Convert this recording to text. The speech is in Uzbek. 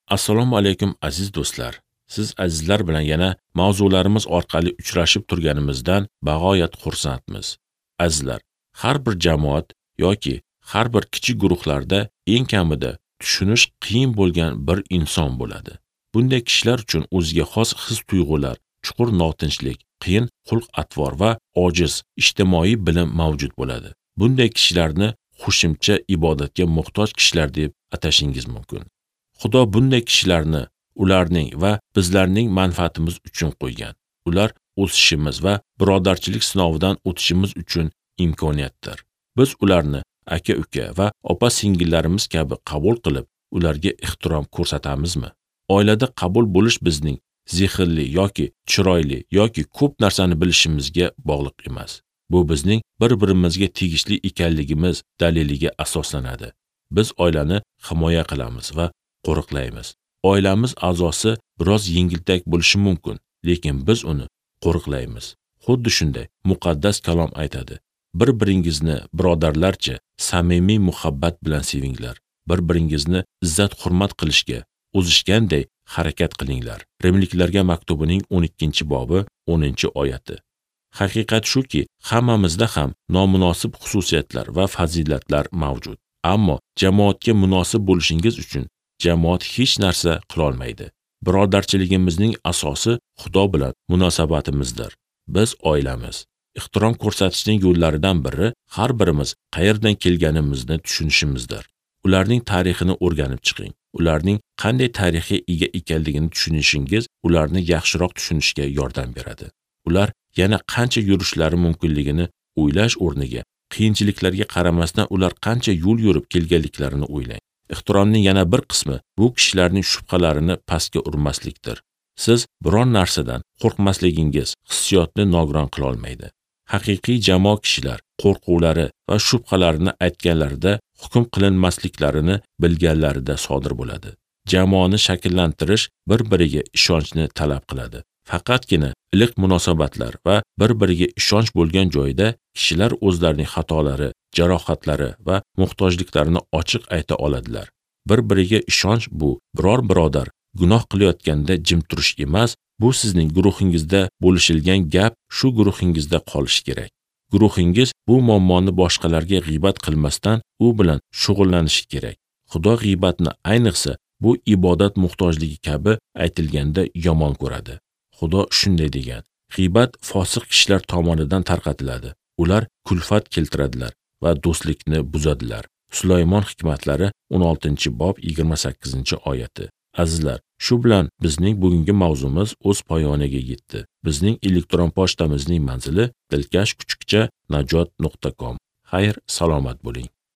Assalomu alaykum aziz do'stlar. Siz azizlar bilan yana mavzularimiz orqali uchrashib turganimizdan bag'oyat xursandmiz. Azizlar, har bir jamoat yoki har bir kichik guruhlarda eng kamida tushunish qiyin bo'lgan bir inson bo'ladi. Bunday kishilar uchun o'ziga xos his-tuyg'ular, chuqur notinchlik, qiyin xulq-atvor va ojiz ijtimoiy bilim mavjud bo'ladi. Bunday kishilarni qo'shimcha ibodatga muhtoj kishilar deb atashingiz mumkin. Xudo bunday kishilarni ularning va bizlarning manfaatimiz uchun qo'ygan. Ular o'sishimiz va birodarchilik sinovidan o'tishimiz uchun imkoniyatdir. Biz ularni aka-uka va opa-singillarimiz kabi qabul qilib, ularga ehtirom ko'rsatamizmi? Oilada qabul bo'lish bizning zehnli yoki chiroyli yoki ko'p narsani bilishimizga bog'liq emas. Bu bizning bir-birimizga tegishli ekanligimiz daliliga asoslanadi. Biz oilani himoya qilamiz va qo'riqlaymiz. Oilamiz a'zosi biroz yengiltak bo'lishi mumkin, lekin biz uni qo'riqlaymiz. Xuddi shunday muqaddas kalom aytadi: bir-biringizni birodarlarcha samimiy muhabbat bilan sevinglar. Bir-biringizni izzat-hurmat qilishga o'zishganday harakat qilinglar. Rimliklarga maktubining 12-bobi 10-oyati. Haqiqat shuki, hammamizda ham nomunosib xususiyatlar va fazilatlar mavjud. Ammo jamoatga munosib bo'lishingiz uchun jamoat hech narsa qila olmaydi. Birodarchiligimizning asosi Xudo bilan munosabatimizdir. Biz oilamiz. Ehtirom ko'rsatishning yo'llaridan biri har birimiz qayerdan kelganimizni tushunishimizdir. Ularning tarixini o'rganib chiqing. Ularning qanday tarixga ega ekanligini tushunishingiz ularni yaxshiroq tushunishga yordam beradi. Ular yana qancha yurishlari mumkinligini o'ylash o'rniga, qiyinchiliklarga qaramasdan ular qancha yo'l yurib kelganliklarini o'ylang. Ehtiromning yana bir qismi bu kishilarning shubhalarini pastga urmaslikdir. Siz biron narsadan qo'rqmasligingiz hissiyotni nogiron qila olmaydi. Haqiqiy jamoa kishilar qo'rquvlari va shubhalarini aytganlarida hukm qilinmasliklarini bilganlarida sodir bo'ladi. Jamoani shakllantirish bir-biriga ishonchni talab qiladi. Faqatgina iliq munosabatlar va bir-biriga ishonch bo'lgan joyda kishilar o'zlarining xatolari, jarohatlari va muhtojliklarini ochiq ayta oladilar. Bir-biriga ishonch bu biror birodar gunoh qilayotganda jim turish emas, bu sizning guruhingizda bo'lishilgan gap shu guruhingizda qolishi kerak. Guruhingiz bu muammoni boshqalarga g'iybat qilmasdan u bilan shug'ullanishi kerak. Xudo g'iybatni ayniqsa bu ibodat muhtojligi kabi aytilganda yomon ko'radi. Xudo shunday degan: g'iybat fosiq kishilar tomonidan tarqatiladi. Ular kulfat keltiradilar va do'stlikni buzadilar. Sulaymon hikmatlari 16-bob 28-oyati. Azizlar, shu bilan bizning bugungi mavzumiz o'z poyoniga yetdi. Bizning elektron pochtamizning manzili dilkash@najot.com. Xayr, salomat bo'ling.